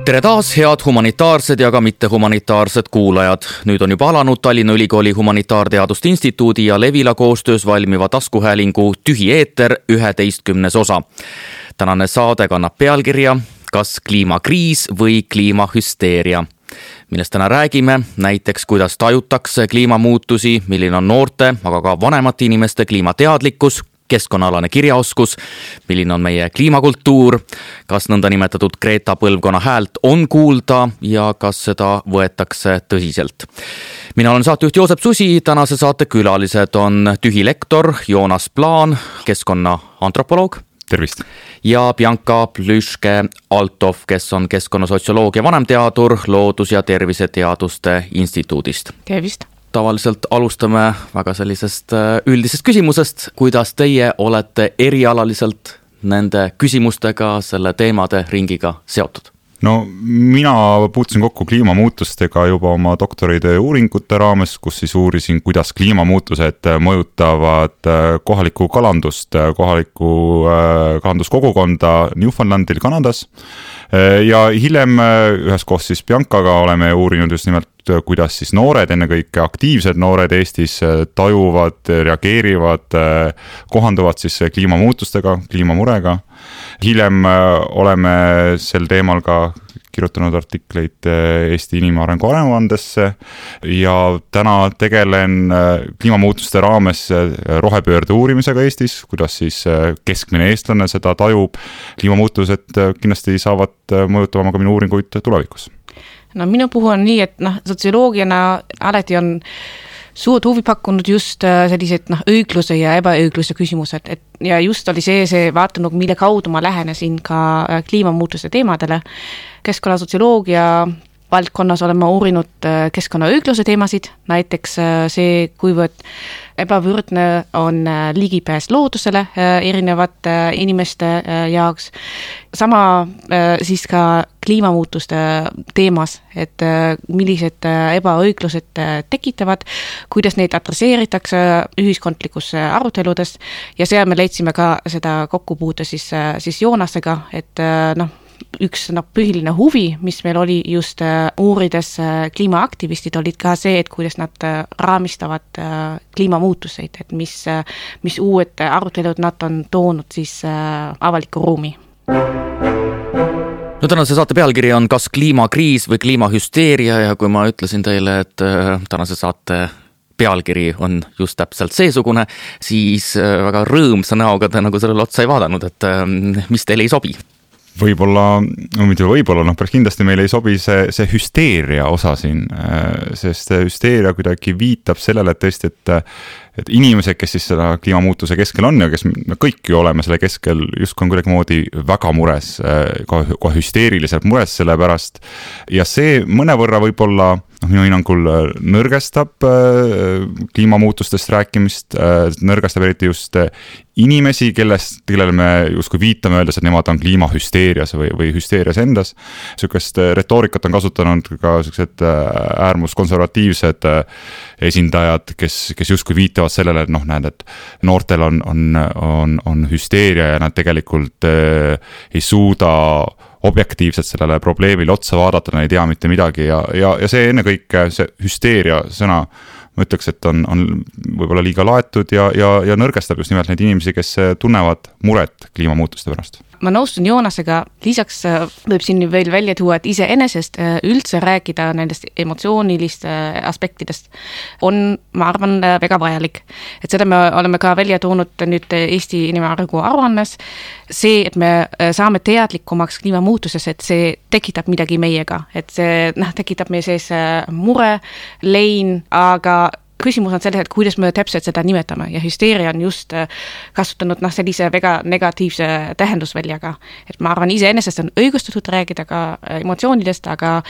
Tere taas, head humanitaarsed ja ka mitte humanitaarsed kuulajad. Nüüd on juba alanud Tallinna Ülikooli Humanitaarteaduste Instituudi ja Levila koostöös valmiva taskuhäälingu Tühi eeter 11. osa. Tänane saade kannab pealkirja Kas kliimakriis või kliimahüsteeria? Millest täna räägime, näiteks kuidas tajutakse kliimamuutusi, milline on noorte, aga ka vanemate inimeste kliimateadlikkus, keskkonnaalane kirjaoskus, milline on meie kliimakultuur, kas nõndanimetatud Greta põlvkonna häält on kuulda ja kas seda võetakse tõsiselt. Mina olen saatejuht Joosep Susi, tänase saate külalised on Tühi lektor Joonas Plaan, keskkonnaantropoloog. Tervist. Ja Bianca Plüške-Altov, kes on keskkonnasotsioloogia vanemteadur Loodus- ja Terviseteaduste Instituudist. Tervist. Tavaliselt alustame väga sellisest üldisest küsimusest, kuidas teie olete erialaliselt nende küsimustega, selle teemade ringiga seotud? No mina puutusin kokku kliimamuutustega juba oma doktoritöö uuringute raames, kus siis uurisin, kuidas kliimamuutused mõjutavad kohalikku kalandust, kohalikku kalanduskogukonda Newfoundlandil Kanadas. Ja hiljem üheskoos siis Biancaga oleme uurinud just nimelt, kuidas siis noored, ennekõike aktiivsed noored Eestis tajuvad, reageerivad, kohanduvad siis kliimamuutustega, kliimamurega. Hiljem oleme sel teemal ka kirjutanud artikleid Eesti inimarengu aruandesse ja täna tegelen kliimamuutuste raames rohepöörde uurimisega Eestis, kuidas siis keskmine eestlane seda tajub. Kliimamuutused kindlasti saavad mõjutama ka minu uuringuid tulevikus. No minu puhul on nii, et sotsioloogiana alati on suurt huvi pakkunud just sellised õigluse ja ebaõigluse küsimused. Ja just oli see vaatanud, mille kaudu ma lähenesin ka kliimamuutuse teemadele. Keskkonnasotsioloogia valdkonnas oleme uurinud keskkonnaõigluse teemasid, näiteks see, kuivõrd ebavõrdne on ligipääs loodusele erinevate inimeste jaoks. Sama siis ka kliimamuutuste teemas, et millised ebaõiglused tekitavad, kuidas neid adresseeritakse ühiskondlikus aruteludes ja seal me leidsime ka seda kokkupuute siis Joonasega, et üks põhiline huvi, mis meil oli just uurides kliimaaktivistid, olid ka see, et kuidas nad raamistavad kliimamuutuseid, et mis uued arutelud nad on toonud siis avalikku ruumi. No tänase saate pealkiri on Kas kliimakriis või kliimahüsteeria ja kui ma ütlesin teile, et tänase saate pealkiri on just täpselt seesugune, siis väga rõõmsa näoga te nagu sellele otsa ei vaadanud, et mis teile ei sobi? Võib-olla, päris kindlasti meile ei sobi see hüsteeria osa siin, sest hüsteeria kuidagi viitab sellele, et tõesti, et inimesed, kes siis seda kliimamuutuse keskel on ja kes me kõik ju oleme selle keskel, justkui on kuidagi väga mures, kohe hüsteeriliselt mures selle pärast ja see mõnevõrra võib-olla minu hinnangul nõrgestab kliimamuutustest rääkimist, nõrgestab eriti just inimesi, kellele me justkui viitame öeldes, et nemad on kliimahüsteerias või hüsteerias endas. Sükest retoorikat on kasutanud ka sellised äärmuskonservatiivsed esindajad, kes justkui viitavad sellele, et näed, et noortel on hüsteeria ja nad tegelikult ei suuda objektiivselt sellele probleemile otsa vaadata, nad ei tea mitte midagi ja see ennekõike see hüsteeria sõna, ma ütleks, et on võib-olla liiga laetud ja nõrgestab just nimelt neid inimesi, kes tunnevad muret kliimamuutuste pärast. Ma nõustun Joonasega, lisaks võib siin veel välja tuua, et iseenesest üldse rääkida nendest emotsioonilist aspektidest on, ma arvan, väga vajalik. Et seda me oleme ka välja toonud nüüd Eesti inimarengu aruannes. See, et me saame teadlikumaks kliimamuutuses, et see tekitab midagi meiega, et see tekitab meie sees mure, lein, aga küsimus on selles, et kuidas me täpselt seda nimetame ja hüsteeria on just kasutanud sellise väga negatiivse tähendusväljaga. Et ma arvan, iseenesest on õigustatud rääkida ka emotsioonidest, aga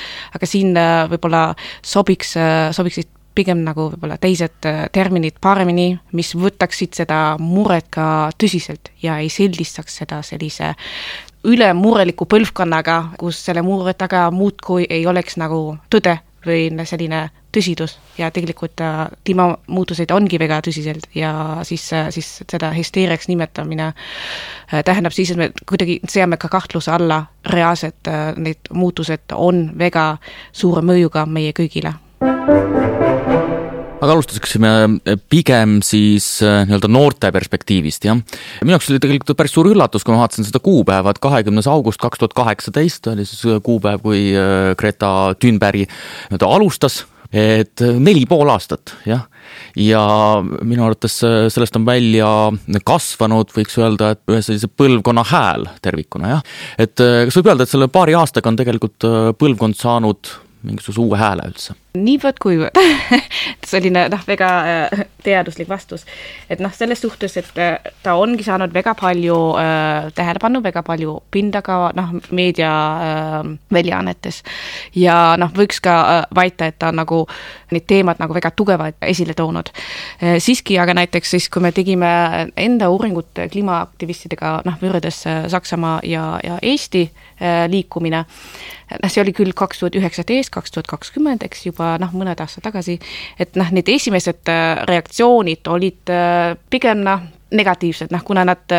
siin võib-olla sobiksid pigem nagu võib-olla teised terminid paremini, mis võtaksid seda muret ka tõsiselt ja ei sildistaks seda sellise ülemureliku põlvkonnaga, kus selle mure taga muudkui ei oleks nagu tõde või selline tõsidus ja tegelikult kliimamuutused ongi väga tõsiselt ja siis seda hysteeriaks nimetamine tähendab siis, et me kuidagi seame ka kahtluse alla reaalselt need muutused on väga suure mõjuga meie kõigile. Aga alustaksime pigem siis nii-öelda noorte perspektiivist, jah. Minu jaoks oli tegelikult päris suur üllatus, kui ma vaatasin seda kuupäeva, et 20. august 2018 oli siis kuupäev, kui Greta Thunberg alustas, et 4,5 aastat, jah. Ja minu arvates sellest on välja kasvanud, võiks öelda, et ühe sellise põlvkonna hääl tervikuna, jah. Et kas võib öelda, et selle paari aastaga on tegelikult põlvkond saanud mingisuguse uue hääle üldse? Niivõrd kuivõrd. Selline väga teaduslik vastus. Et selles suhtes, et ta ongi saanud väga palju tähelepanu, väga palju pinda ka meedia väljaannetes. Ja võiks ka väita, et ta nagu need teemad nagu väga tugevad esile toonud. Siiski aga näiteks siis, kui me tegime enda uuringut kliimaaktivistidega võrreldes Saksamaa ja Eesti liikumine, see oli küll 2019, 2020, eks juba mõned aastad tagasi, et need esimesed reaktsioonid olid pigem negatiivsed, kuna nad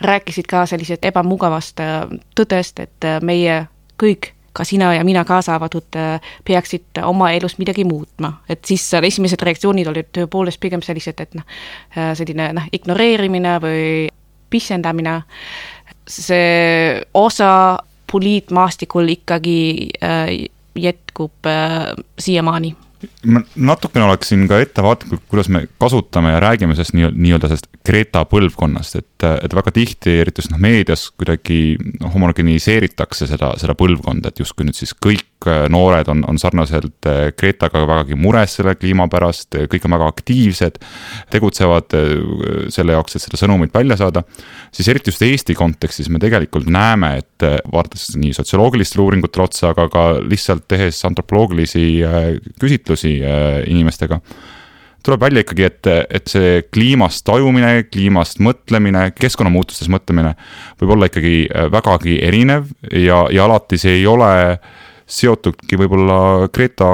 rääkisid ka sellised ebamugavast tõdest, et meie kõik, ka sina ja mina kaasa avatud, peaksid oma elus midagi muutma. Et siis esimesed reaktsioonid olid tõepoolest pigem sellised, et selline ignoreerimine või pisendamine. See osa poliitmaastikul ikkagi jätkub siiamaani. Ma natukene oleksin ka ettevaatlikult, kuidas me kasutame ja räägime sellest nii-öelda sellest Greta põlvkonnast, et väga tihti, eriti just meedias kuidagi homogeniseeritakse seda põlvkonda, et justkui nüüd siis kõik noored on sarnaselt Gretaga vägagi mures selle kliima pärast, kõik on väga aktiivsed, tegutsevad selle jaoks, et seda sõnumit välja saada, siis eriti just Eesti kontekstis me tegelikult näeme, et vaadates nii sotsioloogilistele uuringutele otsa, aga ka lihtsalt tehes antropoloogilisi küsitlusi inimestega, tuleb välja ikkagi, et see kliimast tajumine, kliimast mõtlemine, keskkonnamuutustes mõtlemine võib olla ikkagi vägagi erinev ja alati see ei ole seotudki võib-olla Greta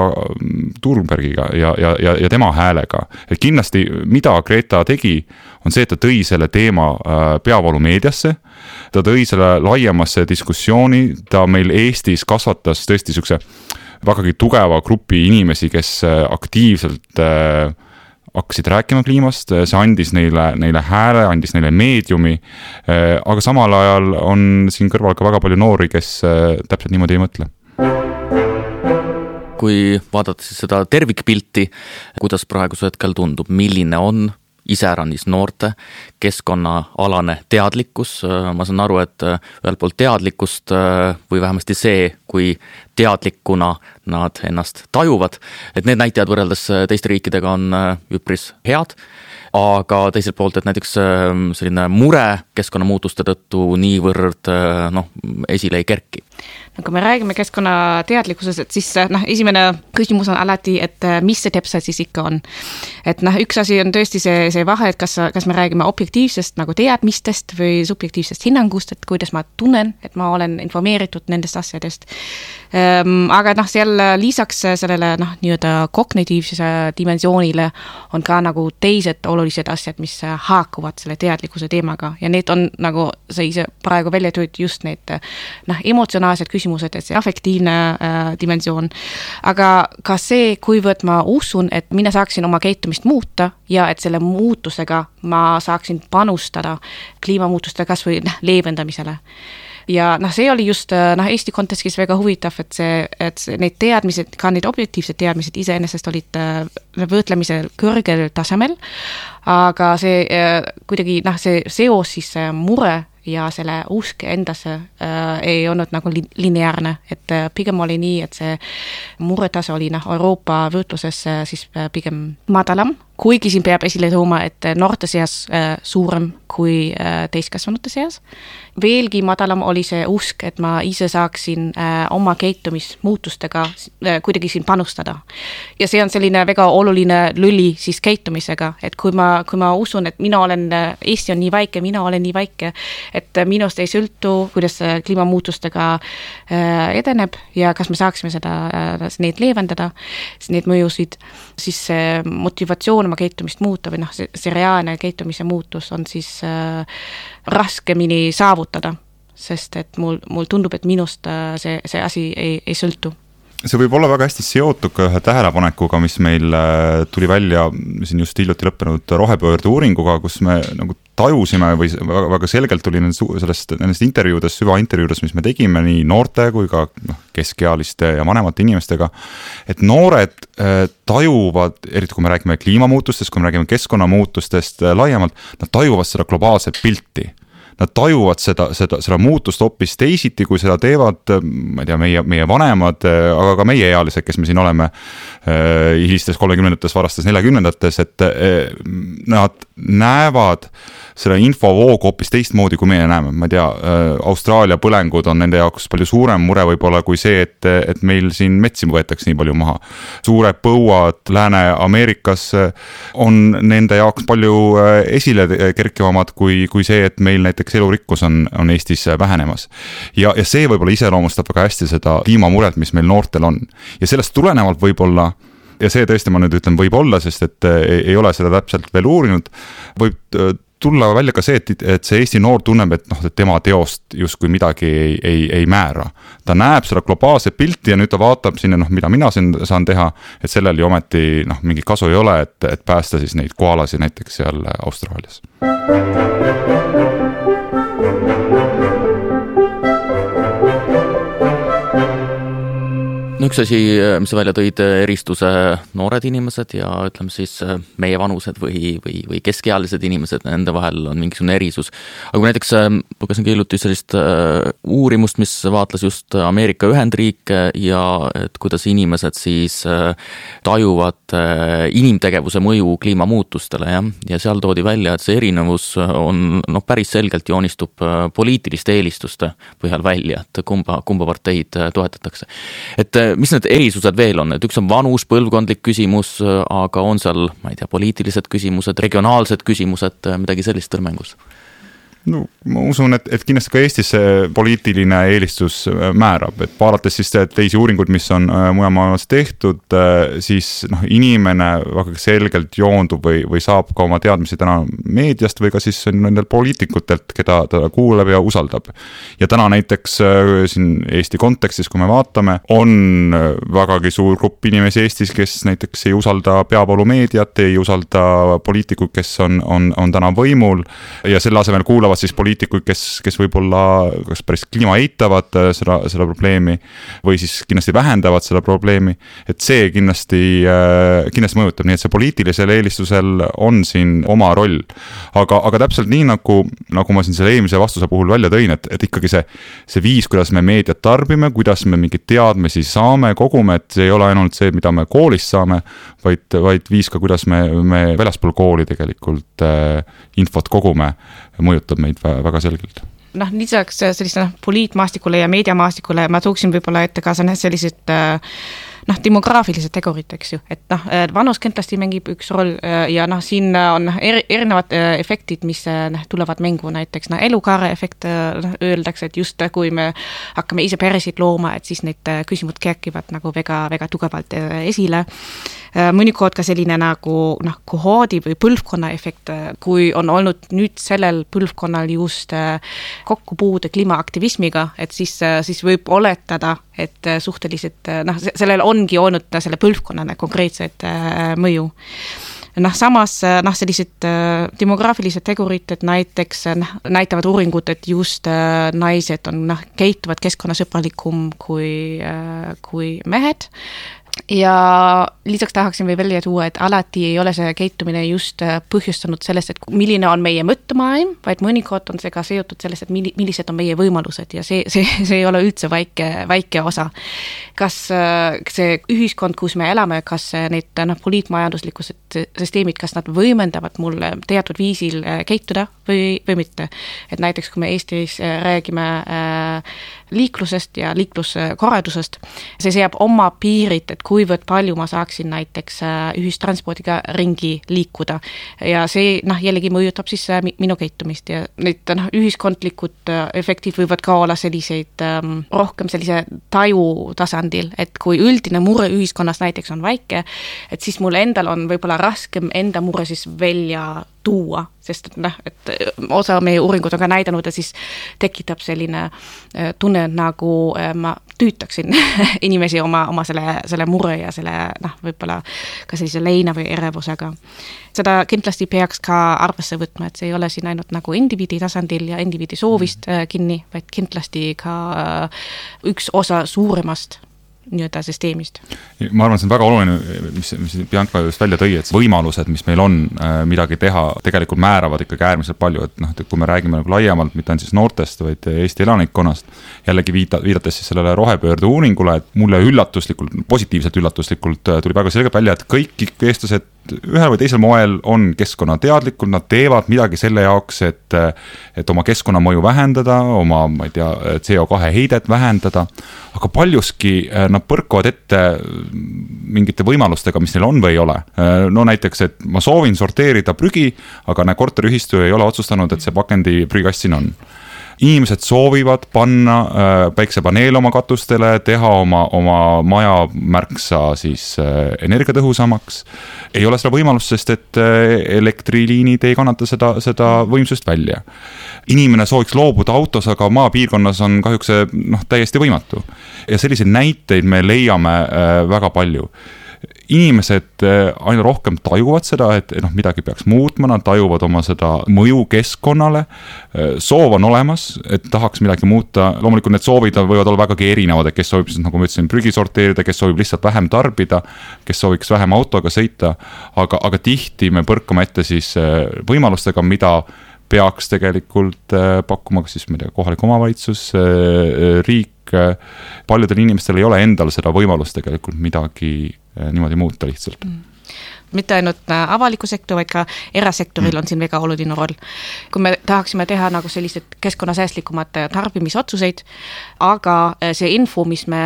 Thunbergiga ja tema häälega. Et kindlasti, mida Greta tegi, on see, et ta tõi selle teema peavoolu meediasse, ta tõi selle laiemasse diskussiooni, ta meil Eestis kasvatas tõesti sükse vägagi tugeva grupi inimesi, kes aktiivselt hakkasid rääkima kliimast, see andis neile hääle, andis neile meediumi, aga samal ajal on siin kõrval ka väga palju noori, kes täpselt niimoodi ei mõtle. Kui vaadata siis seda tervikpilti, kuidas praeguse hetkel tundub, milline on iseäranis noorte keskkonnaalane teadlikkus. Ma saan aru, et ühelt poolt teadlikkust või vähemasti see, kui teadlikuna nad ennast tajuvad, et need näitajad võrreldes teiste riikidega on üpris head, aga teiselt poolt, et näiteks selline mure keskkonnamuutuste tõttu niivõrd esile ei kerki. Kui me räägime keskkonnateadlikkusest, et siis esimene küsimus on alati, et mis see täpselt siis ikka on. Et üks asi on tõesti see vahe, et kas me räägime objektiivsest nagu teadmistest või subjektiivsest hinnangust, et kuidas ma tunnen, et ma olen informeeritud nendest asjadest. Aga seal lisaks sellele nii-öelda kognitiivsuse dimensioonile on ka nagu teised olulised asjad, mis haakuvad selle teadlikkuse teemaga ja need on nagu sa ise praegu välja tööd just need emotsionaalsed küsimused, et see affektiivne dimensioon. Aga ka see, kuivõrd ma usun, et mina saaksin oma käitumist muuta ja et selle muutusega ma saaksin panustada kliimamuutuste kas või leevendamisele. Ja see oli just Eesti kontekstis väga huvitav, et need teadmised, ka need objektiivsed teadmised iseenesest olid võtlemisel kõrgel tasemel, aga see kuidagi see seos siis mure ja selle usk endasse ei olnud nagu lineaarne, et pigem oli nii, et see muretase oli Euroopa võrdluses siis pigem madalam kuigi siin peab esile tooma, et noorte seas suurem kui täiskasvanute seas. Veelgi madalam oli see usk, et ma ise saaksin oma käitumismuutustega kuidagi siin panustada. Ja see on selline väga oluline lüli siis käitumisega, et kui ma usun, et Eesti on nii väike, mina olen nii väike, et minust ei sõltu, kuidas kliimamuutustega edeneb ja kas me saaksime neid leevendada, neid mõjusid, siis see motivatsioon oma käitumist muuta või see reaalne käitumise muutus on siis raskemini saavutada, sest et mul tundub, et minust see asi ei sõltu. See võib olla väga hästi seotud ka ühe tähelepanekuga, mis meil tuli välja siin just hiljuti lõppenud rohepöörde uuringuga, kus me nagu tajusime või väga selgelt tuli nendest intervjuudest, süvaintervjuudest, mis me tegime nii noorte kui ka keskealiste ja vanemate inimestega, et noored tajuvad, eriti kui me räägime kliimamuutustest, kui me räägime keskkonnamuutustest laiemalt, nad tajuvad seda globaalset pilti. Nad tajuvad seda muutust hoopis teisiti, kui seda teevad, ma ei tea, meie vanemad, aga ka meie ealised, kes me siin oleme hilistes 30-ndates, varastes 40-ndates, et nad näevad seda infovoogu hoopis teistmoodi, kui meie näeme. Ma ei tea, Austraalia põlengud on nende jaoks palju suurem mure võib-olla kui see, et meil siin metsi võetakse nii palju maha. Suured põuad Lääne-Ameerikas on nende jaoks palju esile kerkivamad kui see, et meil näiteks elurikkus on Eestis vähenemas. Ja see võib-olla iseloomustab väga hästi seda kliimamuret, mis meil noortel on. Ja sellest tulenevalt võib-olla, ja see tõesti ma nüüd ütlen võib-olla, sest et ei ole seda täpselt veel uurinud, võib tulla välja ka see, et see Eesti noor tunneb, et tema teost justkui midagi ei määra. Ta näeb seda globaalset pilti ja nüüd ta vaatab sinna, mida mina siin saan teha, et sellel ju ometi mingi kasu ei ole, et päästa siis neid koalasi näiteks seal Austraalias. Üks asi, mis sa välja tõid, eristuse noored inimesed ja ütleme siis meie vanused või keskealised inimesed, nende vahel on mingisugune erisus. Aga kui näiteks lugesin hiljuti sellist uurimust, mis vaatles just Ameerika Ühendriike ja et kuidas inimesed siis tajuvad inimtegevuse mõju kliimamuutustele ja seal toodi välja, et see erinevus on päris selgelt joonistub poliitiliste eelistuste põhjal välja, et kumba parteid toetatakse. Et mis need erisused veel on? Et üks on vanus, põlvkondlik küsimus, aga on seal, ma ei tea, poliitilised küsimused, regionaalsed küsimused, midagi sellist mängus? No, ma usun, et kindlasti ka Eestis see poliitiline eelistus määrab, et vaadates siis teisi uuringuid, mis on mujal maailmas tehtud, siis inimene väga selgelt joondub või saab ka oma teadmisi täna meediast või ka siis nendel poliitikutelt, keda ta kuuleb ja usaldab. Ja täna näiteks siin Eesti kontekstis, kui me vaatame, on vägagi suur grupp inimesi Eestis, kes näiteks ei usalda peavoolumeediat, ei usalda poliitikuid, kes on täna võimul ja selle asemel kuulavad siis poliitikuid, kes võib-olla kas päris kliima eitavad seda probleemi või siis kindlasti vähendavad seda probleemi, et see kindlasti mõjutab, nii et see poliitilisel eelistusel on siin oma roll. Aga täpselt nii, nagu ma siin selle eelmise vastuse puhul välja tõin, et ikkagi see viis, kuidas me meediat tarbime, kuidas me mingid teadmisi saame, kogume, et see ei ole ainult see, mida me koolist saame, vaid viis ka, kuidas me väljaspool kooli tegelikult infot kogume, mõjutab meid väga selgelt. Lisaks selliste poliitmaastikule ja meediamaastikule ma tooksin võib-olla ette ka sellised demograafilised tegurid, eks ju, et vanus kindlasti mängib üks roll ja siin on erinevad efektid, mis tulevad mängu, näiteks elukaare efekt öeldakse, et just kui me hakkame ise peresid looma, et siis need küsimused kerkivad väga, väga tugevalt esile. Mõnikord ka selline kohoodi või põlvkonna efekt, kui on olnud nüüd sellel põlvkonnal just kokkupuude kliimaaktivismiga, et siis võib oletada, et suhteliselt, sellel ongi olnud selle põlvkonnane konkreetset mõju. Samas sellised demograafilised tegurid, et näiteks näitavad uuringud, et just naised käituvad keskkonnasõbralikum kui mehed. ja lisaks tahaksin veel välja tuua, et alati ei ole see käitumine just põhjustanud sellest, et milline on meie mõttemaailm, vaid mõnikord on see ka seotud sellest, et millised on meie võimalused ja see ei ole üldse väike osa. Kas see ühiskond, kus me elame, kas need poliitmajanduslikud süsteemid, kas nad võimendavad mulle teatud viisil käituda või mitte. Et näiteks, kui me Eestis räägime liiklusest ja liikluskorraldusest, see seab oma piirid, et kuivõrd palju ma saaksin näiteks ühistranspordiga ringi liikuda ja see jällegi mõjutab siis minu käitumist ja need ühiskondlikud efektid võivad ka olla selliseid rohkem sellise taju tasandil, et kui üldine mure ühiskonnas näiteks on väike, et siis mul endal on võib-olla raskem enda mure siis välja tuua, sest et osa meie uuringud on ka näidanud, et siis tekitab selline tunne, nagu ma tüütaksin inimesi oma selle mure ja selle võib-olla ka sellise leina või erevusega. Seda kindlasti peaks ka arvesse võtma, et see ei ole siin ainult nagu indiviidi tasandil ja indiviidi soovist kinni, vaid kindlasti ka üks osa suuremast nii-öelda süsteemist. Ma arvan, see on väga oluline, mis Bianca just välja tõi, et võimalused, mis meil on midagi teha, tegelikult määravad ikkagi äärmiselt palju, et kui me räägime nagu laiemalt, mitte on siis noortest, vaid Eesti elanikkonnast, jällegi viidates siis sellele rohepöörde uuringule, et mulle positiivselt üllatuslikult tuli väga selgelt välja, et kõik eestlased ühel või teisel moel on keskkonnateadlikud, nad teevad midagi selle jaoks, et oma keskkonnamõju vähendada, oma, ma ei tea, CO2 heidet vähendada, aga paljuski nad põrkuvad ette mingite võimalustega, mis neil on või ei ole. No näiteks, et ma soovin sorteerida prügi, aga korteriühistu ei ole otsustanud, et see pakendi prügikast siin on. Inimesed soovivad panna päiksepaneel oma katustele, teha oma maja märksa siis energiatõhusamaks. Ei ole seda võimalust, sest et elektriliinid ei kannata seda võimsust välja. Inimene sooviks loobuda autos, aga maapiirkonnas on kahjuks täiesti võimatu. Ja selliseid näiteid me leiame väga palju. Inimesed aina rohkem tajuvad seda, et midagi peaks muutma, nad tajuvad oma seda mõju keskkonnale, soov on olemas, et tahaks midagi muuta, loomulikult need soovid võivad olla vägagi erinevad, et kes soovib, nagu ma ütlesin, prügi sorteerida, kes soovib lihtsalt vähem tarbida, kes sooviks vähem autoga sõita, aga tihti me põrkame ette siis võimalustega, mida peaks tegelikult pakkuma siis kohalik omavalitsus, riik, paljudel inimestel ei ole endal seda võimalust tegelikult midagi niimoodi muuta lihtsalt. Mitte ainult avaliku sektor, vaid ka erasektoril on siin väga oluline roll. Kui me tahaksime teha nagu sellised keskkonnasäästlikumad tarbimisotsuseid, aga see info, mis me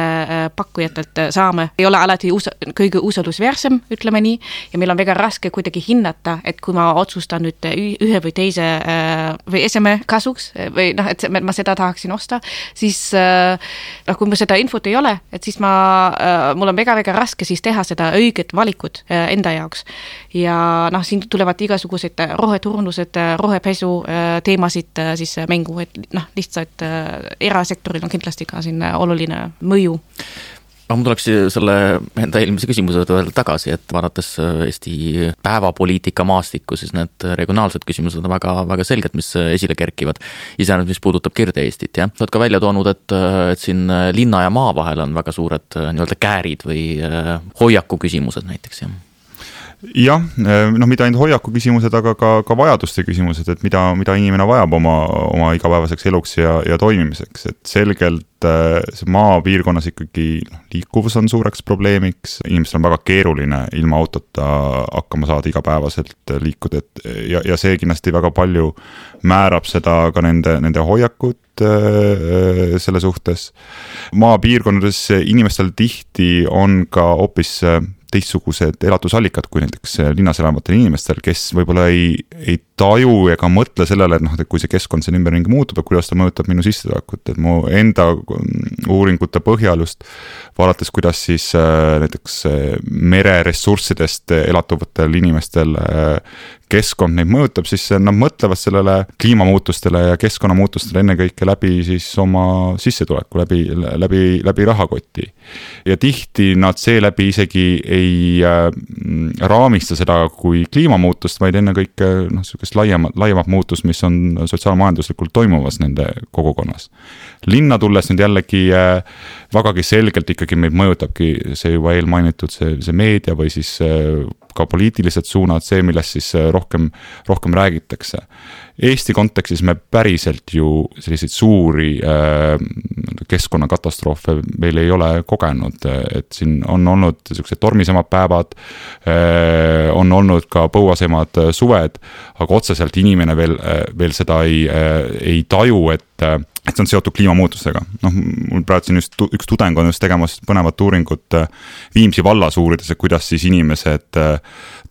pakkujatelt saame, ei ole alati kõige usaldusväärsem, ütleme nii, ja meil on väga raske kuidagi hinnata, et kui ma otsustan nüüd ühe või teise või eseme kasuks, või et ma seda tahaksin osta, siis kui me seda infot ei ole, et siis mul on väga raske siis teha seda õiget valikut enda jaoks. Ja siin tulevad igasugused roheturundused, rohepesu teemasid siis mängu, et lihtsalt erasektoril on kindlasti ka siin oluline mõju. Ma tuleks selle enda eelmise küsimuse veel tagasi, et vaadates Eesti päevapoliitika maastikku, siis need regionaalsed küsimused on väga selged, mis esile kerkivad. Iseenesest, mis puudutab Kirde-Eestit. Ja? Sa oled ka välja toonud, et siin linna ja maa vahel on väga suured nii-öelda käärid või hoiaku küsimused näiteks. Jah, mida ainult hoiaku küsimused, aga ka vajaduste küsimused, et mida inimene vajab oma igapäevaseks eluks ja toimimiseks, et selgelt see maapiirkonnas ikkagi liikuvus on suureks probleemiks, inimestel on väga keeruline ilma autota hakkama saada igapäevaselt liikuda, ja see kindlasti väga palju määrab seda ka nende hoiakut selle suhtes. Maapiirkonnades inimestel tihti on ka hoopis teistsugused elatusallikad kui näiteks linnas elavatel inimestel, kes võib-olla ei taju ega mõtle sellele, et kui see keskkond siin ümberringi muutub, et kuidas ta mõjutab minu sissetulekut, et mu enda uuringute põhjal just vaadates, kuidas siis näiteks mereressurssidest elatuvatel inimestel keskkond neid mõjutab, siis nad mõtlevad sellele kliimamuutustele ja keskkonnamuutustele ennekõike läbi siis oma sissetuleku, läbi rahakoti. Ja tihti nad seeläbi isegi ei raamista seda kui kliimamuutust, vaid ennekõike sellist laiemat muutust, mis on sotsiaalmajanduslikult toimuvas nende kogukonnas. Linna tulles nüüd jällegi vägagi selgelt ikkagi meid mõjutabki see juba eelmainitud see meedia või siis ka poliitilised suunad, see, millest siis rohkem räägitakse. Eesti kontekstis me päriselt ju selliseid suuri keskkonnakatastroofe meil ei ole kogenud, et siin on olnud sellised tormisemad päevad, on olnud ka põuasemad suved, aga otseselt inimene veel seda ei taju, et see on seotud kliimamuutustega. Mul praegu siin üks tudeng on just tegemas põnevat uuringut Viimsi vallas uurides, et kuidas siis inimesed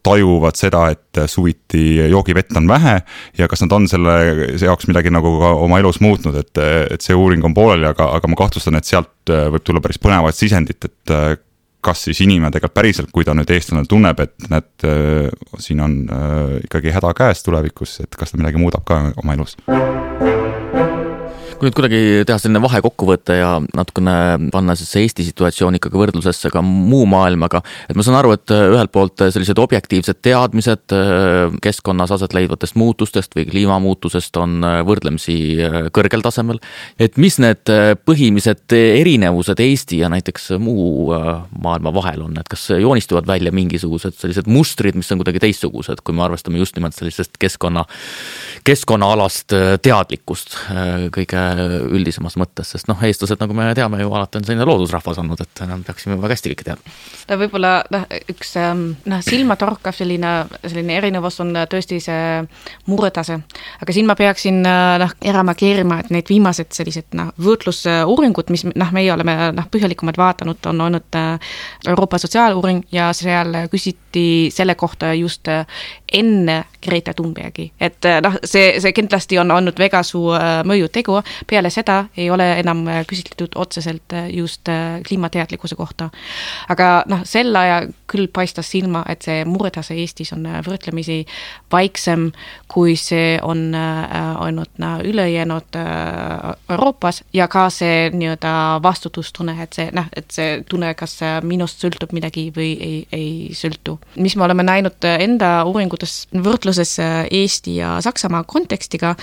tajuvad seda, et suviti joogivett on vähe ja kas nad on selle jaoks midagi nagu ka oma elus muutnud, et see uuring on pooleli, aga ma kahtlustan, et sealt võib tulla päris põnevat sisendit, et kas siis inimene tegelikult päriselt, kui ta nüüd eestlane tunneb, et siin on ikkagi häda käes tulevikus, et kas ta midagi muudab ka oma elus. Kui nüüd kuidagi teha selline vahekokkuvõte ja natukene panna see Eesti situatsioon ikkagi võrdlusesse ka muu maailmaga, et ma saan aru, et ühelt poolt sellised objektiivsed teadmised keskkonnas aset leidvatest muutustest või kliimamuutusest on võrdlemisi kõrgel tasemel, et mis need põhilised erinevused Eesti ja näiteks muu maailma vahel on, et kas joonistuvad välja mingisugused sellised mustrid, mis on kuidagi teistsugused, kui me arvestame just nimelt sellisest keskkonnaalast teadlikkust kõige üldisemas mõttes, sest eestlased, nagu me teame ju alati on selline loodusrahvas olnud, et peaksime väga hästi kõike teadma. Võib-olla üks silmatorkav selline erinevus on tõesti see muretase, aga siin ma peaksin ära markeerima, et need viimased sellised võrdlusuuringud, mis meie oleme põhjalikumad vaatanud, on olnud Euroopa sotsiaaluuring ja seal küsiti selle kohta just enne Greta Thunbergi, et see kindlasti on olnud väga suur mõjutegu, peale seda ei ole enam küsitletud otseselt just kliimateadlikkuse kohta. Aga sel ajal küll paistas silma, et see muretase Eestis on võrdlemisi vaiksem, kui see on olnud ülejäänud Euroopas ja ka see nii-öelda vastutustunne, et see tunne, kas minust sõltub midagi või ei sõltu. Mis me oleme näinud enda uuringutes võrdluses Eesti ja Saksamaa kontekstiga,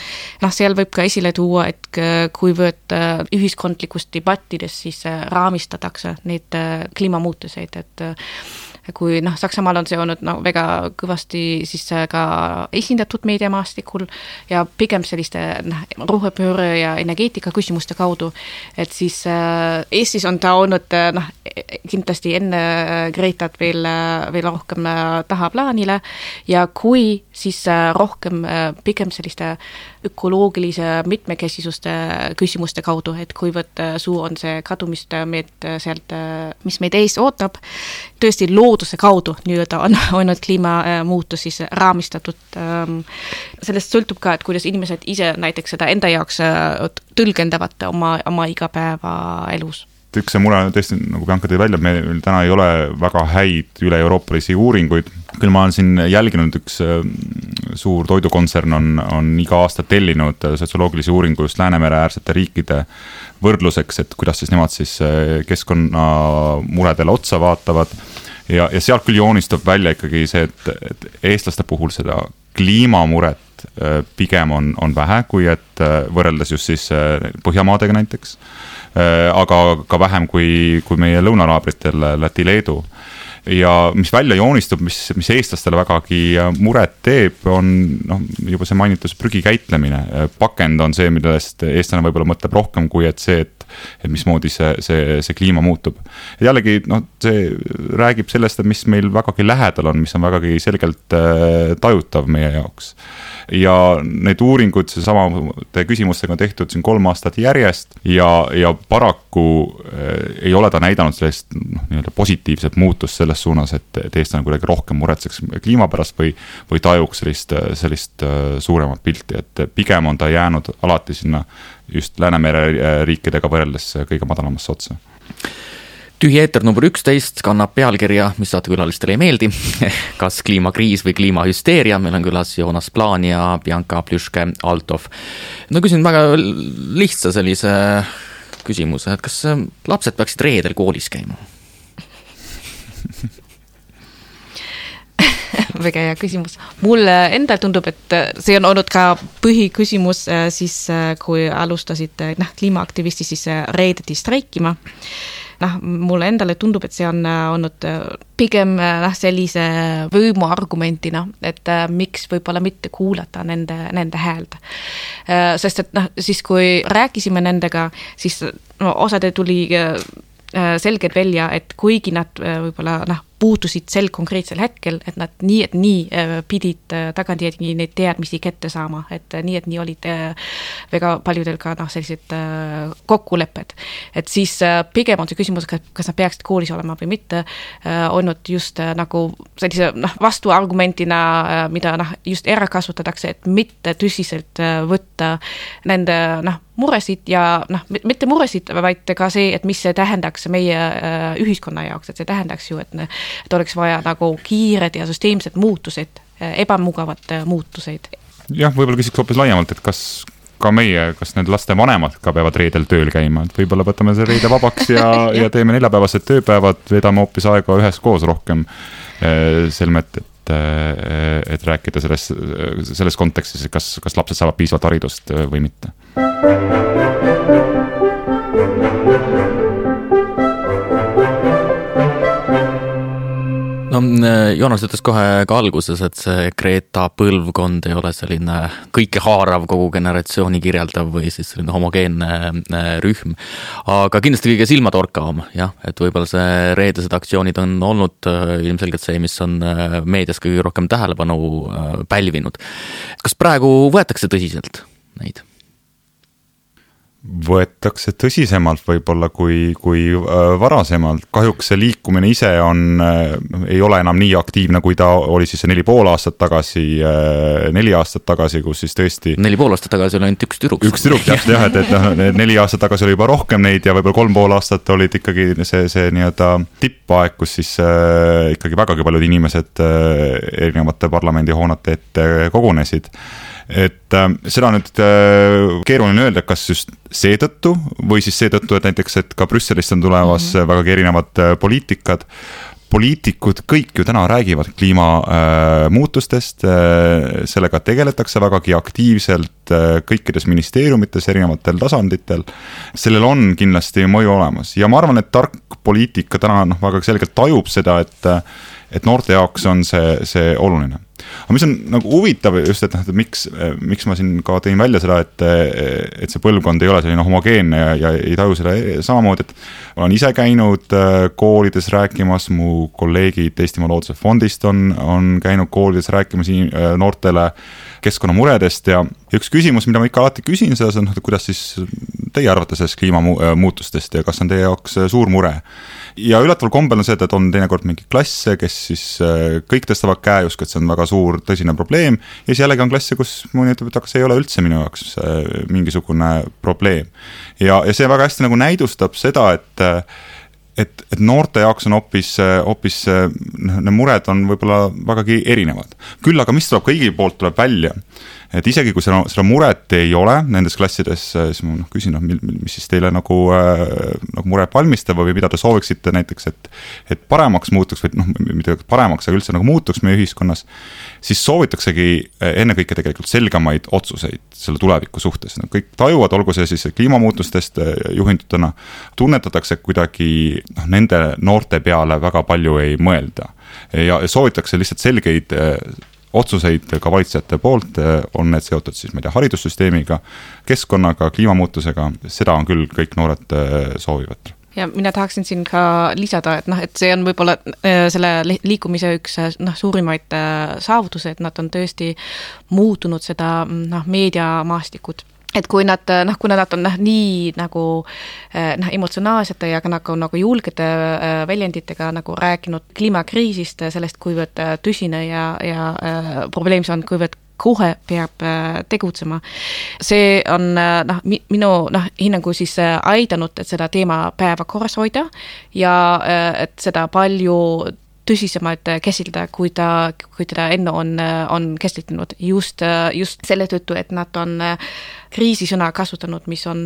seal võib ka esile tuua, et kuivõrd ühiskondlikus debattides siis raamistatakse neid kliimamuutuseid, et kui Saksamaal on see olnud väga kõvasti siis ka esindatud meediamaastikul ja pigem selliste rohepööre ja energeetika küsimuste kaudu, et siis Eestis on ta olnud kindlasti enne Gretat veel rohkem tahaplaanile ja kui siis rohkem pigem selliste ökoloogilise mitmekesisuste küsimuste kaudu, et kuivõrd suur on see kadumist sealt, mis meid ees ootab, tõesti looduse kaudu nii-öelda on olnud kliimamuutus siis raamistatud. Sellest sõltub ka, et kuidas inimesed ise näiteks seda enda jaoks tõlgendavad oma igapäeva elus. Üks see mure tõesti, nagu Bianca tõi välja, meil täna ei ole väga häid üle-euroopalisi uuringuid. Küll ma olen siin jälginud, üks suur toidukontsern on iga aasta tellinud sotsioloogilisi uuringu just Läänemere äärsete riikide võrdluseks, et kuidas siis nemad siis keskkonnamuredele otsa vaatavad. Ja sealt küll joonistub välja ikkagi see, et eestlaste puhul seda kliimamuret pigem on vähe, kui et võrreldes just siis Põhjamaadega näiteks, aga ka vähem kui meie lõunanaabritel Läti, Leedu. Ja mis välja joonistub, mis eestlastele vägagi muret teeb, on juba see mainitus prügi käitlemine. Pakend on see, millest eestlane võib-olla mõtleb rohkem kui et see, et mismoodi see kliima muutub. Ja jällegi, see räägib sellest, et mis meil vägagi lähedal on, mis on vägagi selgelt tajutav meie jaoks. Ja need uuringud sama küsimustega on tehtud siin 3 aastat järjest ja paraku ei ole ta näidanud sellist positiivset muutust selles suunas, et eestlane kuidagi rohkem muretseks kliima pärast või tajuks sellist suuremat pilti, et pigem on ta jäänud alati sinna just Läänemere riikidega võrreldes kõige madalamasse otsa. Tühi eeter number 11 kannab pealkirja, mis saatekülalistele ei meeldi, kas kliimakriis või kliimahüsteeria. Meil on külas Joonas Plaan ja Bianca Pljuške-Altov. No küsin väga lihtsa sellise küsimuse, et kas lapsed peaksid reedel koolis käima? Väga hea küsimus. Mulle endal tundub, et see on olnud ka põhiküsimus siis, kui alustasid kliimaaktivisti siis reedeti streikima. Mulle endale tundub, et see on olnud pigem sellise võimuargumentina, et miks võib-olla mitte kuulata nende hääld. Sest et siis, kui rääkisime nendega, siis osade tuli selgelt välja, et kuigi nad võib-olla puutusid sel konkreetsel hetkel, et nad nii pidid tagantjärgi neid teadmisi kätte saama, et nii olid väga paljudel ka sellised kokkulepped. Et siis pigem on see küsimus, kas nad peaksid koolis olema või mitte, olnud just nagu sellise vastuargumentina, mida just ära kasutatakse, et mitte tõsiselt võtta nende muresid ja mitte muresid, vaid ka see, et mis see tähendaks meie ühiskonna jaoks, et see tähendaks ju, et oleks vaja nagu kiired ja süsteemsed muutused, ebamugavad muutuseid. Jah, võib-olla küsiks hoopis laiemalt, et kas ka meie, kas need laste vanemad ka peavad reedel tööl käima, et võib-olla võtame see reede vabaks ja teeme 4-päevased tööpäevad, vedame hoopis aega üheskoos rohkem selmet, et rääkida selles kontekstis, kas lapsed saavad piisavalt haridust või mitte. No, Joonas ütles kohe ka alguses, et see Greta põlvkond ei ole selline kõike haarav, kogu generatsiooni kirjeldav või siis selline homogeenne rühm. Aga kindlasti kõige silmatorkavam, jah, et võib-olla see reedesed aktsioonid on olnud ilmselgelt see, mis on meedias kõige rohkem tähelepanu pälvinud. Kas praegu võetakse tõsiselt neid? Võetakse tõsisemalt võib-olla kui varasemalt. Kahjuks see liikumine ise ei ole enam nii aktiivne, kui ta oli siis 4,5 aastat tagasi, 4 aastat tagasi, kus siis tõesti 4,5 aastat tagasi oli ainult üks tüdruk. Üks tüdruk, jah, et 4 aastat tagasi oli juba rohkem neid ja võib-olla 3,5 aastat olid ikkagi see nii-öelda tippaeg, kus siis ikkagi vägagi paljud inimesed erinevate parlamendihoonete ette kogunesid. Et seda nüüd keeruline öelda, kas just seetõttu või siis seetõttu, et näiteks, et ka Brüsselist on tulemas vägagi erinevad poliitikad. Poliitikud kõik ju täna räägivad kliimamuutustest, sellega tegeletakse vägagi aktiivselt kõikides ministeeriumites, erinevatel tasanditel. Sellel on kindlasti mõju olemas ja ma arvan, et tark poliitika täna väga selgelt tajub seda, et noorte jaoks on see oluline. Aga mis on nagu huvitav just, et miks ma siin ka tõin välja seda, et see põlvkond ei ole selline homogeenne ja ei taju seda samamoodi, et olen ise käinud koolides rääkimas, mu kolleegid Eestimaa Looduse Fondist on käinud koolides rääkimas noortele keskkonnamuredest ja üks küsimus, mida ma ikka alati küsin selles on, kuidas siis teie arvate sellest kliimamuutustest ja kas on teie jaoks suur mure. Ja üllataval kombel on see, et on teinekord mingi klasse, kes siis kõik tõstavad käe just, et see on väga suur tõsine probleem ja siis jällegi on klasse, kus mõni ütleb, et aga see ei ole üldse minu jaoks mingisugune probleem. Ja see väga hästi nagu näidustab seda, et noorte jaoks on hoopis need mured on võib-olla vägagi erinevad. Küll aga mis tuleb kõigi poolt tuleb välja, et isegi kui seda muret ei ole nendes klassides, siis ma küsin, mis siis teile nagu muret valmistab või mida te sooviksite näiteks, et paremaks muutuks või mitte paremaks, aga üldse nagu muutuks meie ühiskonnas, siis soovitaksegi ennekõike tegelikult selgemaid otsuseid selle tuleviku suhtes. Kõik tajuvad, olgu see siis kliimamuutustest juhindutuna, tunnetatakse kuidagi nende noorte peale väga palju ei mõelda ja soovitakse lihtsalt selgeid otsuseid ka valitsejate poolt, on need seotud siis haridussüsteemiga, keskkonnaga, kliimamuutusega, seda on küll kõik noored soovivad. Ja mina tahaksin siin ka lisada, et see on võib-olla selle liikumise üks suurimaid saavutuse, et nad on tõesti muutunud seda meediamaastikut. Et kui nad on nii nagu emotsionaalsete ja nagu julgete väljenditega nagu rääkinud kliimakriisist, sellest kuivõrd tõsine ja probleem see on, kuivõrd kohe peab tegutsema. See on minu hinnangu siis aidanud, et seda teema päevakorras hoida ja et seda palju tõsisemalt käsitleda, kui teda enne on käsitlenud. Just selle tõttu, et nad on kriisisõna kasutanud, mis on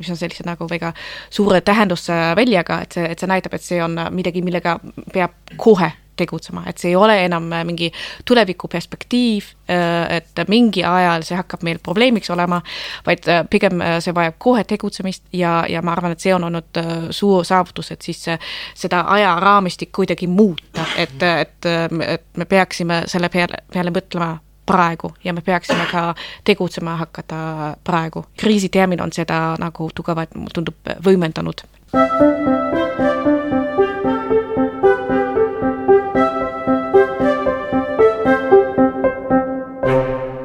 sellise nagu väga suure tähendusväljaga, et see näitab, et see on midagi, millega peab kohe tegutsema, et see ei ole enam mingi tuleviku perspektiiv, et mingi ajal see hakkab meil probleemiks olema, vaid pigem see vajab kohe tegutsemist ja ma arvan, et see on olnud suur saavutus, et siis seda ajaraamistik kuidagi muuta, et me peaksime selle peale mõtlema praegu ja me peaksime ka tegutsema hakata praegu. Kriisitermin on seda nagu tugevalt, tundub, võimendanud.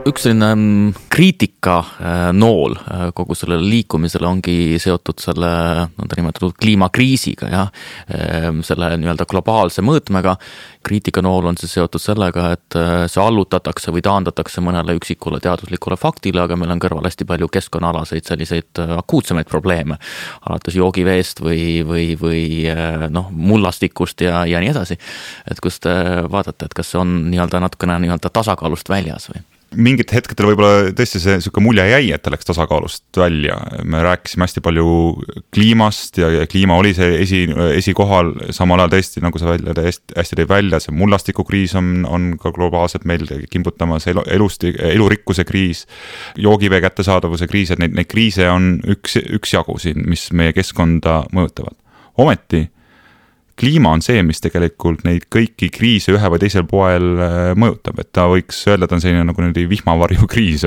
Üks selline kriitika nool kogu sellele liikumisele ongi seotud selle nimetatud kliimakriisiga ja selle nii-öelda globaalse mõõtmega. Kriitika nool on see seotud sellega, et see allutatakse või taandatakse mõnele üksikule teaduslikule faktile, aga meil on kõrval hästi palju keskkonnaalaseid selliseid akuutsemaid probleeme, alates joogiveest või mullastikust ja nii edasi. Et kus te vaatate, et kas see on natukene tasakaalust väljas või? Mingit hetkedel võib-olla tõesti see selline mulje jäi, et ta läks tasakaalust välja. Me rääkisime hästi palju kliimast ja kliima oli see esikohal, samal ajal tõesti, nagu sa hästi tõi välja, see mullastikukriis on ka globaalselt meil kimbutamas, elurikkuse kriis, joogivee kättesaadavuse kriis, et neid kriise on üks jagu siin, mis meie keskkonda mõjutavad. Ometi kliima on see, mis tegelikult neid kõiki kriise ühe või teisel poel mõjutab, et ta võiks öelda, et on selline nagu vihmavarju kriis,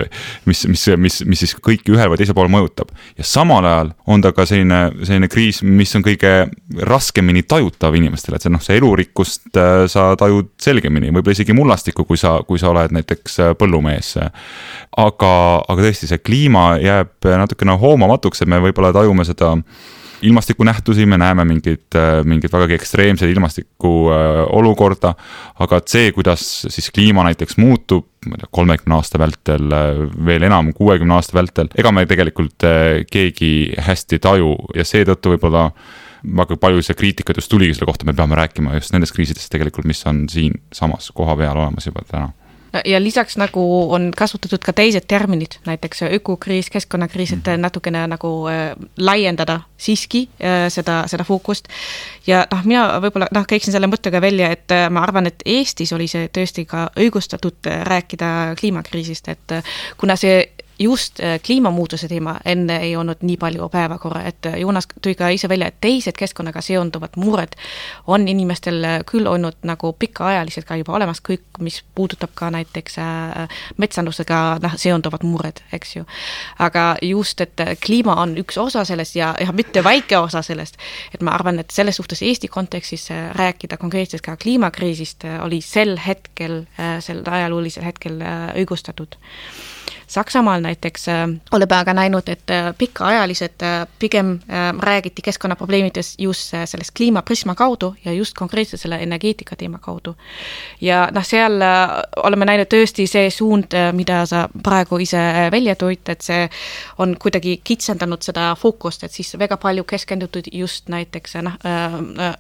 mis siis kõiki ühel või teisel pool mõjutab. Ja samal ajal on ta ka selline kriis, mis on kõige raskemini tajutav inimestele, et see elurikkust sa tajud selgemini, võib-olla isegi mullastikku, kui sa oled näiteks põllumees. Aga tõesti, see kliima jääb natukene hoomamatuks, et me võib-olla tajume seda ilmastiku nähtusi, me näeme mingid vägagi ekstreemsed ilmastiku olukorda, aga see, kuidas siis kliima näiteks muutub 30 aasta vältel, veel enam 60 aasta vältel, ega me tegelikult keegi hästi taju ja seetõttu võib-olla väga palju see kriitikat just tuligi selle kohta, me peame rääkima just nendest kriisidest tegelikult, mis on siin samas koha peal olemas juba täna. Ja lisaks nagu on kasutatud ka teised terminid, näiteks ökokriis, keskkonnakriis, et natukene nagu laiendada siiski seda fookust. Ja mina võib-olla käiksin selle mõttega välja, et ma arvan, et Eestis oli see tõesti ka õigustatud rääkida kliimakriisist, et kuna see just kliimamuutuse teema enne ei olnud nii palju päevakorra, et Joonas tõi ka ise välja, et teised keskkonnaga seonduvad mured on inimestel küll olnud nagu pikaajalised ka juba olemas, kõik, mis puudutab ka näiteks metsandusega seonduvad mured, eks ju. Aga just, et kliima on üks osa sellest ja mitte väike osa sellest, et ma arvan, et selles suhtes Eesti kontekstis rääkida konkreetselt ka kliimakriisist oli sel ajaloolisel hetkel õigustatud. Saksamaal näiteks oleme aga näinud, et pikaajalised pigem räägiti keskkonnaprobleemides just sellest kliimaprisma kaudu ja just konkreetselt selle energeetika teema kaudu. Ja seal oleme näinud tõesti see suund, mida sa praegu ise välja toid, et see on kuidagi kitsendanud seda fookust, et siis väga palju keskendutud just näiteks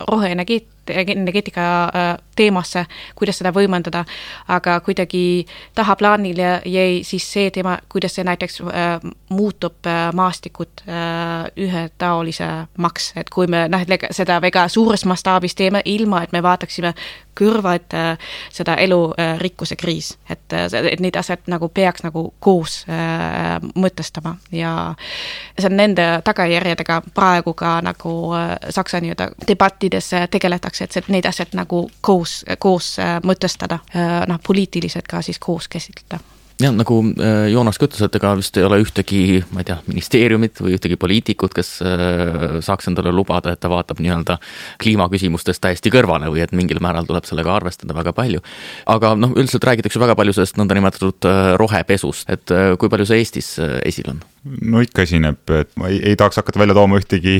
roheenergeetika teemasse, kuidas seda võimendada, aga kuidagi tahaplaanile jäi siis see teema, kuidas see näiteks muutub maastikut ühetaolise maks, et kui me seda väga suures mastaabis teeme, ilma et me vaataksime kõrvad seda elurikkuse kriis, et neid asjad nagu peaks nagu koos mõtestama ja see on nende tagajärjedega praegu ka nagu Saksa debattides tegeletakse, et neid asjad nagu koos mõtestada, poliitiliselt ka siis koos käsitleda. Ja nagu Joonas ütles, et ega vist ei ole ühtegi, ma ei tea, ministeeriumit või ühtegi poliitikut, kes saaks endale lubada, et ta vaatab nii-öelda kliimaküsimustest täiesti kõrvale või et mingil määral tuleb sellega arvestada väga palju. Aga üldiselt räägitakse väga palju sellest nõnda nimetatud rohepesust, et kui palju see Eestis esil on? no ikka esineb, et ma ei tahaks hakata välja tooma ühtegi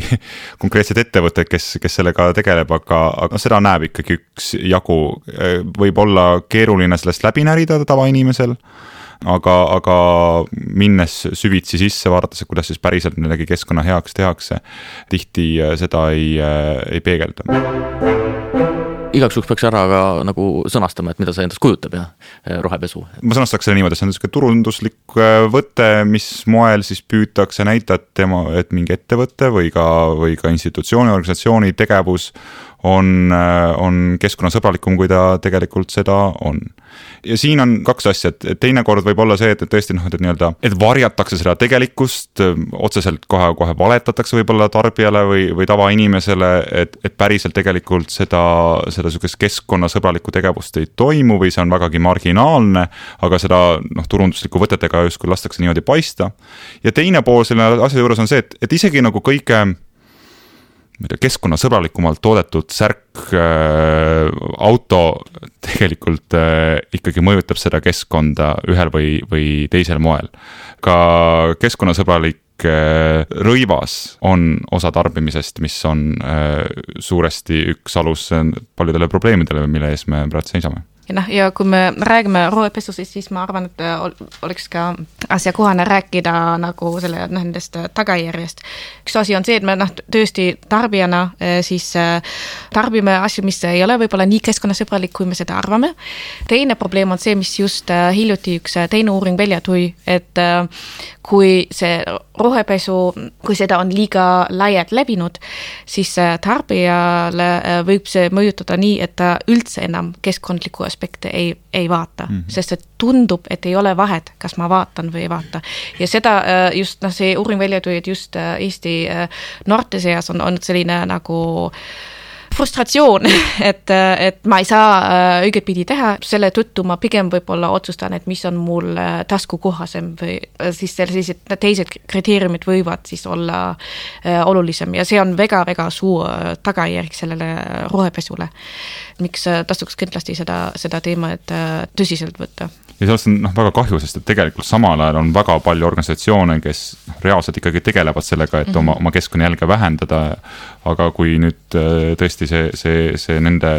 konkreetset ettevõtet, kes sellega tegeleb, aga seda näeb ikkagi üks jagu. Võib olla keeruline sellest läbi närida tavainimesel, aga minnes süvitsi sisse, vaadates, et kuidas siis päriselt midagi keskkonna heaks tehakse, tihti seda ei peegelda. Igaks juhuks peaks ära ka nagu sõnastama, et mida see endast kujutab ja rohepesu. Ma sõnastaks selle niimoodi, et see on niisugune turunduslik võte, mis moel siis püütakse näidata, et mingi ettevõte või ka institutsiooni, organisatsiooni tegevus on keskkonnasõbralikum, kui ta tegelikult seda on. Ja siin on kaks asja, et teine kord võib olla see, et tõesti et varjatakse seda tegelikkust, otseselt kohe valetatakse võib-olla tarbijale või tavainimesele, et päriselt tegelikult seda keskkonnasõbralikku tegevust ei toimu või see on vägagi marginaalne, aga seda turunduslikku võtetega justkui lastakse niimoodi paista. Ja teine pool selle asja juures on see, et isegi nagu kõige keskkonnasõbralikumalt toodetud särk auto tegelikult ikkagi mõjutab seda keskkonda ühel või teisel moel. Ka keskkonnasõbralik rõivas on osa tarbimisest, mis on suuresti üks alus paljudele probleemidele, mille ees me praegu seisame. Ja kui me räägime rohepesust, siis ma arvan, et oleks ka asjakohane rääkida nagu selle nendest tagajärjest. Üks asi on see, et me tõesti tarbijana siis tarbime asju, mis ei ole võib-olla nii keskkonnasõbralik, kui me seda arvame. Teine probleem on see, mis just hiljuti üks teine uuring välja tuli, et kui see rohepesu, kui seda on liiga laialt levinud, siis tarbijale võib see mõjutada nii, et ta üldse enam keskkondliku aspekte ei vaata, sest et tundub, et ei ole vahet, kas ma vaatan või ei vaata. Ja seda just see uuring välja tuli, et just Eesti noorte seas on selline nagu frustratsioon, et ma ei saa õiget pidi teha, selle tõttu ma pigem võib-olla otsustan, et mis on mul taskukohasem või siis sellised teised kriteeriumid võivad siis olla olulisem ja see on väga-väga suur tagajärg sellele rohepesule. Miks tasuks kindlasti seda teemat tõsiselt võtta? Ja sellest on väga kahju, sest et tegelikult samal ajal on väga palju organisatsioone, kes reaalselt ikkagi tegelevad sellega, et oma keskkonnajälge vähendada, aga kui nüüd tõesti see nende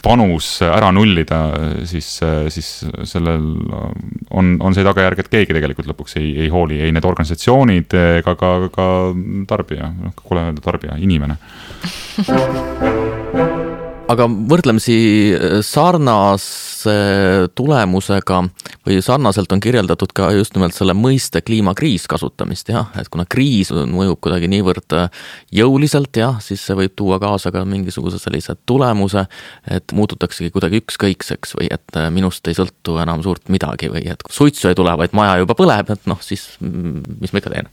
panus ära nullida, siis sellel on see tagajärg, et keegi tegelikult lõpuks ei hooli, ei need organisatsioonid ega ka tarbija, kuule öelda tarbija, inimene. Aga võrdlemisi sarnase tulemusega või sarnaselt on kirjeldatud ka just nimelt selle mõiste kliimakriis kasutamist, et kuna kriis mõjub kuidagi niivõrd jõuliselt, siis see võib tuua kaasa ka mingisuguse sellise tulemuse, et muututaksegi kuidagi ükskõikseks või et minust ei sõltu enam suurt midagi või et suitsu ei tule, vaid maja juba põleb, et siis mis ma ikka teen?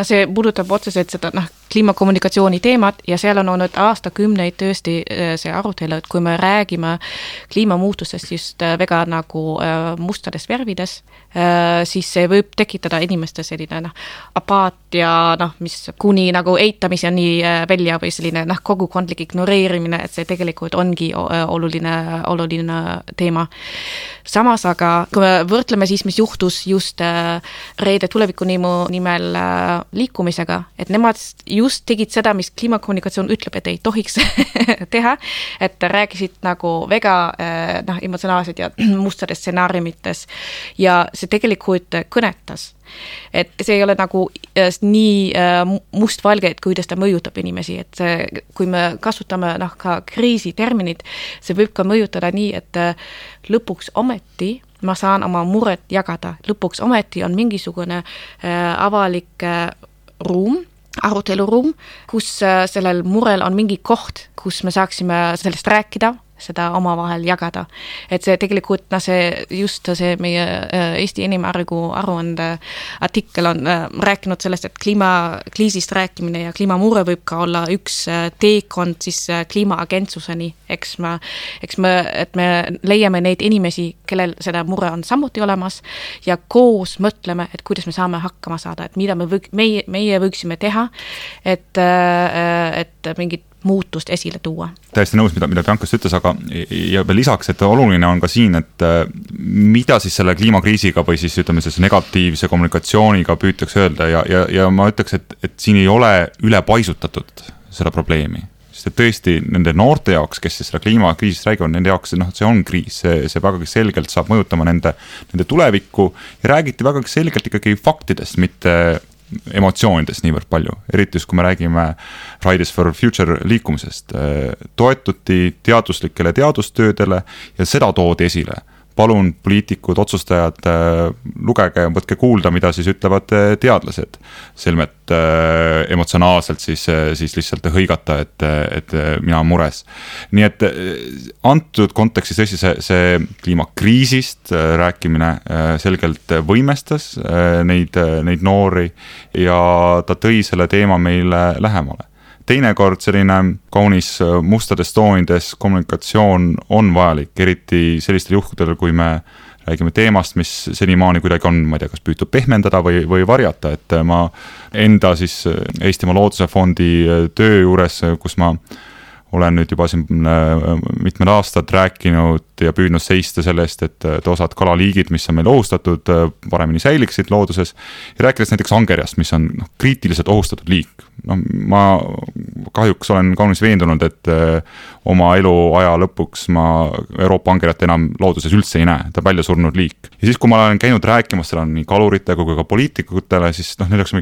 See puudutab otseselt seda kliimakommunikatsiooni teemat ja seal on olnud aastakümneid tõesti see arutelu, et kui me räägime kliimamuutustest just väga nagu mustades värvides, siis see võib tekitada inimeste selline apaatia, mis kuni nagu eitamiseni välja või selline kogukondlik ignoreerimine, et see tegelikult ongi oluline teema. Samas aga, kui me võrdleme siis, mis juhtus just Reede tulevikunimu nimel liikumisega, et nemad just tegid seda, mis kliimakommunikatsioon ütleb, et ei tohiks teha, et rääkisid nagu väga emotsionaalsed ja mustades stsenaariumites ja see tegelikult kõnetas. Et see ei ole nagu nii mustvalge, et kuidas ta mõjutab inimesi, et see, kui me kasutame ka kriisiterminid, see võib ka mõjutada nii, et lõpuks ometi ma saan oma muret jagada, lõpuks ometi on mingisugune avalik ruum, aruteluruum, kus sellel murel on mingi koht, kus me saaksime sellest rääkida, seda omavahel jagada. Et see tegelikult see meie Eesti inimarengu aruande artikkel on rääkinud sellest, et kliimakriisist rääkimine ja kliimamure võib ka olla üks teekond siis kliimaagentsuseni, et me leiame neid inimesi, kellel seda mure on samuti olemas ja koos mõtleme, et kuidas me saame hakkama saada, et mida meie võiksime teha, et mingit muutust esile tuua. täiesti nõus, mida Biancast ütles, aga ja veel lisaks, et oluline on ka siin, et mida siis selle kliimakriisiga või siis ütleme siis negatiivse kommunikatsiooniga püütakse öelda ja ma ütleks, et siin ei ole üle paisutatud seda probleemi. Sest et tõesti nende noorte jaoks, kes siis selle kliimakriisist räägivad, nende jaoks see on kriis, see vägagi selgelt saab mõjutama nende tulevikku ja räägiti vägagi selgelt ikkagi faktidest, mitte emotsioonidest niivõrd palju, eriti just kui me räägime Fridays for Future liikumisest, toetuti teaduslikele teadustöödele ja seda toodi esile. Palun poliitikud, otsustajad, lugege, võtke kuulda, mida siis ütlevad teadlased. Selmet emotsionaalselt siis lihtsalt hõigata, et mina on mures. Nii et antud kontekstis tõesti see kliimakriisist rääkimine selgelt võimestas neid noori ja ta tõi selle teema meile lähemale. Teinekord selline kaunis mustades toonides kommunikatsioon on vajalik, eriti sellistel juhtudel, kui me räägime teemast, mis senimaani kuidagi on, ma ei tea, kas püütud pehmendada või varjata, et ma enda siis Eestimaa Looduse Fondi töö juures, kus ma olen nüüd juba siin mitmed aastad rääkinud ja püüdnud seista sellest, et osad kalaliigid, mis on meil ohustatud, paremini säiliksid looduses. Ja rääkides näiteks angerjast, mis on kriitiliselt ohustatud liik. Ma kahjuks olen kaunis veendunud, et oma eluaja lõpuks ma Euroopa angerjat enam looduses üldse ei näe, ta välja surnud liik. Ja siis, kui ma olen käinud rääkimas seda nii kalurite kui ka poliitikutele, siis neil oleks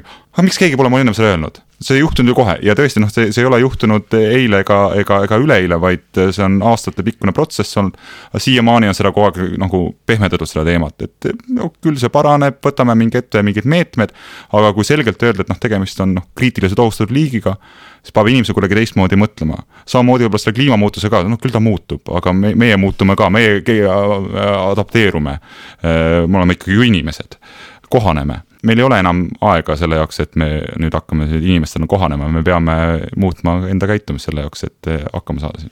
miks keegi pole mul ennem seda öelnud? See ei juhtunud ju kohe ja tõesti, see ei ole juhtunud eile ega üleeile, vaid see on aastate pikkune protsess olnud. Siiamaani on seda kogu aeg nagu pehmendatud seda teemat, et küll see paraneb, võtame mingid meetmed, aga kui selgelt öelda, et tegemist on kriitiliselt ohustatud liigiga, siis peab inimese kuidagi teistmoodi mõtlema. Samamoodi võib-olla selle kliimamuutuse ka, küll ta muutub, aga meie muutume ka, meie adapteerume. Me oleme ikkagi ju inimesed, kohaneme. Meil ei ole enam aega selle jaoks, et me nüüd hakkame inimestena kohanema, me peame muutma enda käitumist selle jaoks, et hakkama saada siin.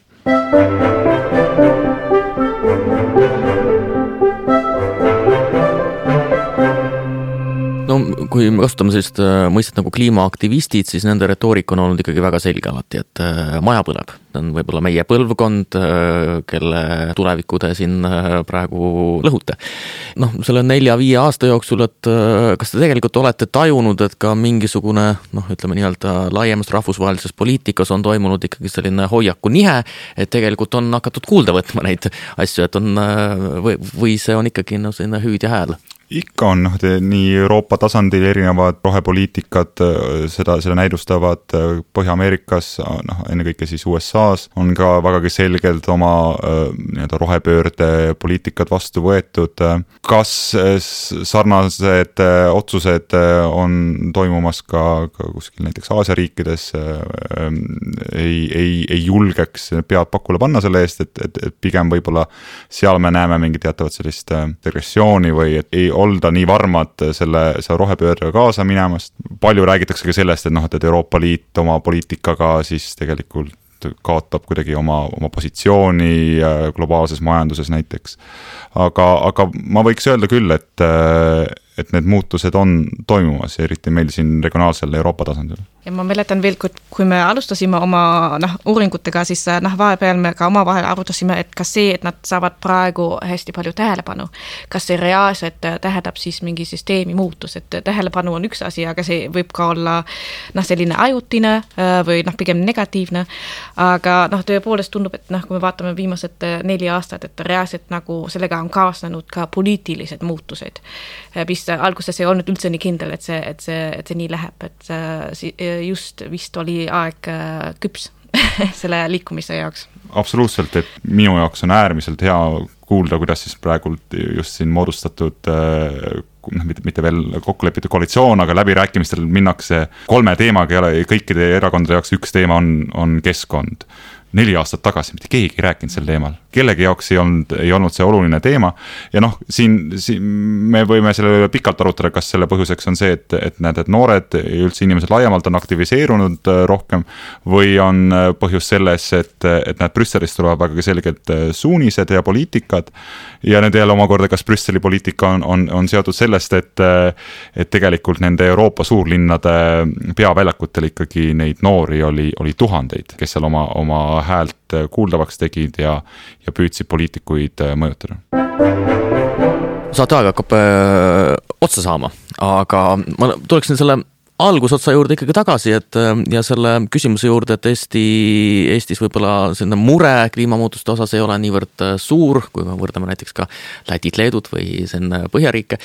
No kui me kasutame sellist mõistet nagu kliimaaktivistid, siis nende retoorika on olnud ikkagi väga selge alati, et maja põleb. See on võib-olla meie põlvkond, kelle tuleviku te siin praegu lõhute. Selle 4-5 aasta jooksul, et kas te tegelikult olete tajunud, et ka mingisugune, ütleme nii-öelda laiemast rahvusvahelises poliitikas on toimunud ikkagi selline hoiaku nihe, et tegelikult on hakatud kuulda võtma neid asju, et on, või see on ikkagi selline hüüd ja hääl? Ikka on nii Euroopa tasandil erinevad rohepoliitikad, seda näidustavad Põhja-Ameerikas, ennekõike siis USA's, on ka vägagi selgelt oma rohepöörde poliitikad vastu võetud. Kas sarnased otsused on toimumas ka kuskil näiteks Aasia riikides, ei julgeks pead pakule panna selle eest, et pigem võib-olla seal me näeme mingi teatavat sellist regressiooni või et ei olda nii varmad selle rohepöördega kaasa minemast. Palju räägitakse ka sellest, et Euroopa Liit oma poliitikaga siis tegelikult kaotab kuidagi oma positsiooni globaalses majanduses näiteks. Aga ma võiks öelda küll, et need muutused on toimumas, eriti meil siin regionaalsel Euroopa tasandil. Ja ma mäletan veel, kui me alustasime oma uuringutega, siis vahepeal me ka omavahel arutasime, et kas see, et nad saavad praegu hästi palju tähelepanu, kas see reaalselt tähendab siis mingi süsteemi muutus, et tähelepanu on üks asi, aga see võib ka olla selline ajutine või pigem negatiivne, aga tõepoolest tundub, et kui me vaatame viimased 4 aastat, et reaalselt sellega on kaasnenud ka poliitilised muutused, mis alguses ei olnud üldse nii kindel, et see nii läheb, et just vist oli aeg küps selle liikumise jaoks. Absoluutselt, et minu jaoks on äärmiselt hea kuulda, kuidas siis praegult just siin moodustatud mitte veel kokkulepitud koalitsioon, aga läbirääkimistel minnakse 3 teemaga ja kõikide erakondade jaoks üks teema on keskkond. 4 aastat tagasi mitte keegi ei rääkinud sel teemal. Kellegi jaoks ei olnud see oluline teema ja siin me võime selle pikalt arutada, kas selle põhjuseks on see, et noored ja üldse inimesed laiemalt on aktiviseerunud rohkem või on põhjus selles, et need Brüsselist tulevad väga selgelt suunised ja poliitikad ja need jälle omakorda, kas Brüsseli poliitika on seotud sellest, et tegelikult nende Euroopa suurlinnade peaväljakutel ikkagi neid noori oli tuhandeid, kes seal oma häält kuuldavaks tegid ja püüdsid poliitikuid mõjutada. Saateaeg hakkab otsa saama, aga ma tuleksin selle algusotsa juurde ikkagi tagasi, ja selle küsimuse juurde, et Eestis võib-olla selline mure kliimamuutuste osas ei ole niivõrd suur, kui me võrdame näiteks ka Lätit, Leedut või selline Põhjariike.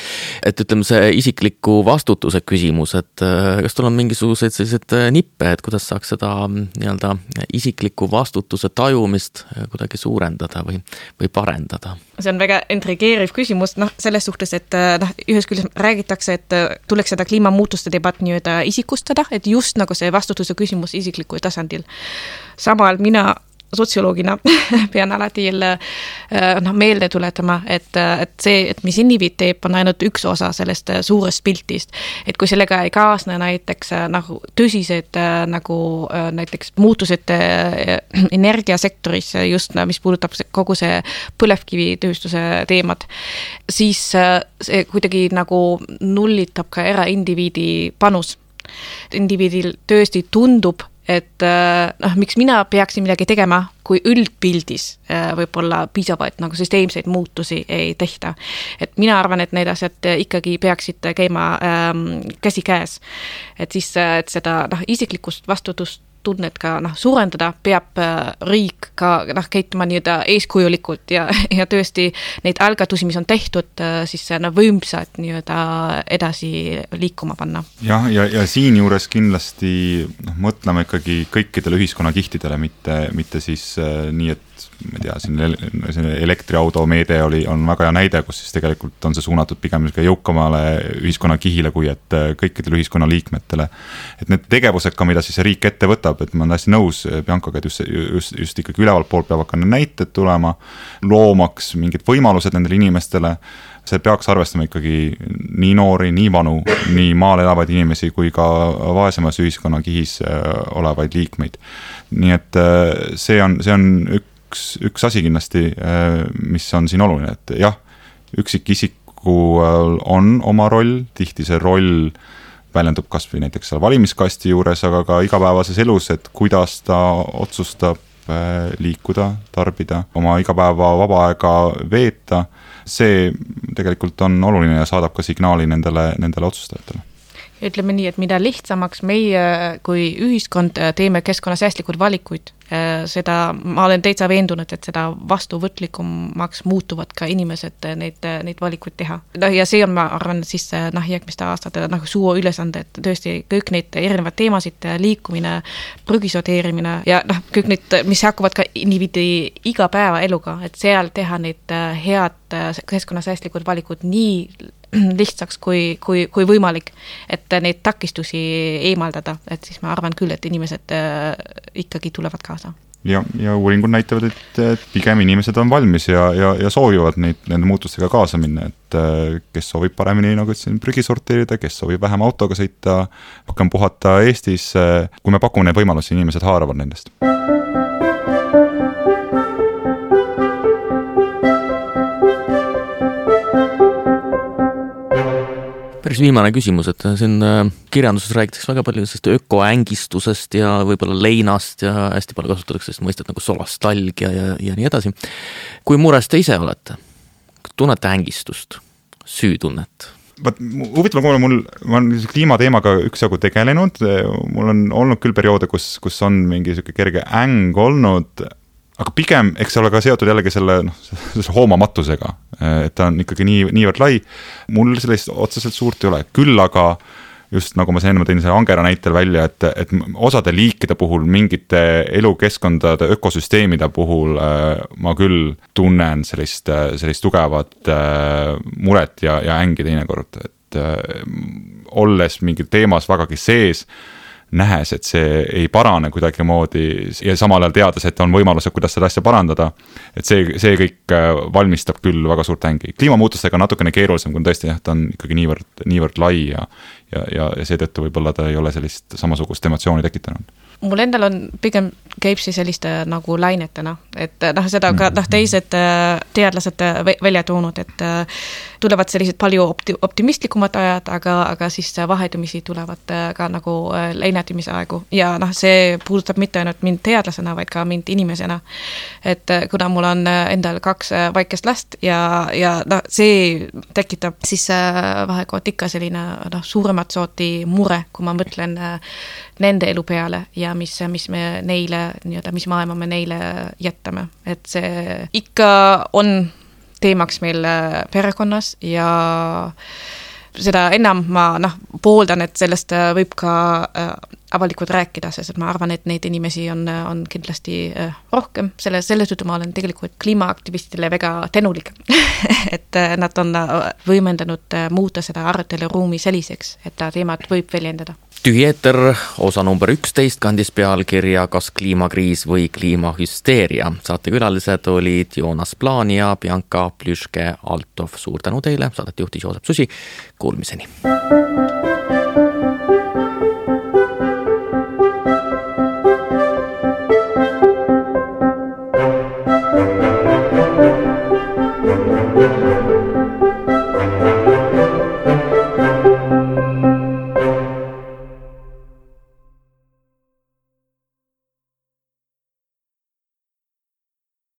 Et ütleme see isikliku vastutuse küsimus, et kas tul on mingisuguseid sellised nippe, et kuidas saaks seda nii-öelda isikliku vastutuse tajumist kuidagi suurendada või parendada? See on väga intrigeeriv küsimus, selles suhtes, et ühes küljest räägitakse, et tuleks seda kliimamuutuste debatt isikustada, et just nagu see vastutuse küsimus isiklikul tasandil. Samal mina sotsioloogina pean alati jälle meelde tuletama, et see, et mis indiviid teeb, on ainult üks osa sellest suurest piltist. Et kui sellega ei kaasne näiteks nagu tõsised nagu näiteks muutused energiasektoris, just mis puudutab kogu see põlevkivitööstuse teemad, siis see kuidagi nagu nullitab ka eraindiviidi panus. Indiviidil tõesti tundub, et miks mina peaksin midagi tegema, kui üldpildis võib-olla piisavaid nagu süsteemseid muutusi ei tehta. Et mina arvan, et need asjad ikkagi peaksid käima käsi käes. Et siis et seda isiklikust vastutust tunnet ka suurendada, peab riik ka käituma eeskujulikult ja tõesti neid algatusi, mis on tehtud, siis võimsad edasi liikuma panna. Ja siin juures kindlasti mõtleme ikkagi kõikidele ühiskonnakihtidele, mitte siis nii, et ma ei tea, siin elektriauto meede on väga hea näide, kus siis tegelikult on see suunatud pigem jõukamale ühiskonnakihile, kui et kõikidele ühiskonnaliikmetele. Et need tegevused ka, mida siis see riik ette võtab, et ma olen hästi nõus Biancaga, et just ikkagi ülevalt poolt peab hakkama näited tulema, loomaks mingid võimalused nendele inimestele. See peaks arvestama ikkagi nii noori, nii vanu, nii maal elavaid inimesi kui ka vaesemas ühiskonnakihis olevaid liikmeid. Nii et see on üks asi kindlasti, mis on siin oluline, et jah, üksikisiku on oma roll, tihti see roll väljendub kas või näiteks seal valimiskasti juures, aga ka igapäevases elus, et kuidas ta otsustab liikuda, tarbida, oma igapäeva vaba aega veeta, see tegelikult on oluline ja saadab ka signaali nendele otsustajatele. Ütleme nii, et mida lihtsamaks meie kui ühiskond teeme keskkonnasäästlikud valikuid, seda ma olen täitsa veendunud, et seda vastuvõtlikumaks muutuvad ka inimesed neid valikuid teha. Ja see on, ma arvan, siis järgmiste aastate suur ülesande, et tõesti kõik neid erinevad teemasid, liikumine, prügisorteerimine ja kõik need, mis hakkavad ka indiviidi igapäeva eluga, et seal teha neid head keskkonnasäästlikud valikud nii lihtsaks kui võimalik, et neid takistusi eemaldada, et siis ma arvan küll, et inimesed ikkagi tulevad kaasa. Ja uuringud näitavad, et pigem inimesed on valmis ja soovivad nende muutustega kaasa minna, et kes soovib paremini, nagu ütlesin, prügi sorteerida, kes soovib vähem autoga sõita, rohkem puhata Eestis, kui me pakume neid võimalusi, inimesed haaravad nendest. Päris viimane küsimus, et siin kirjanduses räägitakse väga palju ökoängistusest ja võib-olla leinast ja hästi palju kasutatakse mõistet nagu solastalgia ja nii edasi. Kui mures te ise olete? Tunnete ängistust? Süütunnet? Huvitav, ma olen kliimateemaga üksjagu tegelenud, mul on olnud küll perioode, kus on mingi kerge äng olnud, aga pigem, eks ole ka seotud jällegi selle hoomamatusega, et ta on ikkagi niivõrd lai. Mul sellist otseselt suurt ei ole. Küll aga just nagu ma enne tõin selle angera näitel välja, et osade liikide puhul, mingite elukeskkondade, ökosüsteemide puhul ma küll tunnen sellist tugevat muret ja ängi teinekord, et olles mingi teemas vägagi sees, nähes, et see ei parane kuidagi moodi ja samal ajal teades, et on võimalused, kuidas seda asja parandada, et see kõik valmistab küll väga suurt ängi. Kliimamuutustega on natukene keerulisem, kui tõesti ta on ikkagi niivõrd lai ja seetõttu võib-olla ta ei ole sellist samasugust emotsiooni tekitanud. mul endal on pigem käib see selliste nagu lainetena, et seda ka teised teadlased välja toonud, et tulevad sellised palju optimistlikumad ajad, aga siis vahetumisi tulevad ka nagu leinatimise aegu ja see puudutab mitte ainult mind teadlasena, vaid ka mind inimesena. Et kuna mul on endal 2 väikest last ja see tekitab siis vahekord ikka selline suuremat sooti mure, kui ma mõtlen nende elu peale ja mis me neile, mis maailma me neile jätame. Et see ikka on teemaks meil perekonnas ja seda enam ma pooldan, et sellest võib ka avalikult rääkida, sest ma arvan, et neid inimesi on kindlasti rohkem. Selles tõttu ma olen tegelikult kliimaaktivistile väga tänulik, et nad on võimendanud muuta seda aruteluruumi selliseks, et teemad võib väljendada. Tühi eeter, osa number 11 kandis pealkirja Kas kliimakriis või kliimahüsteeria. Saatekülalised olid Joonas Plaan ja Bianca Plüške-Altov. Suur tänu teile, saadet juhtis Joosep Susi. Kuulmiseni.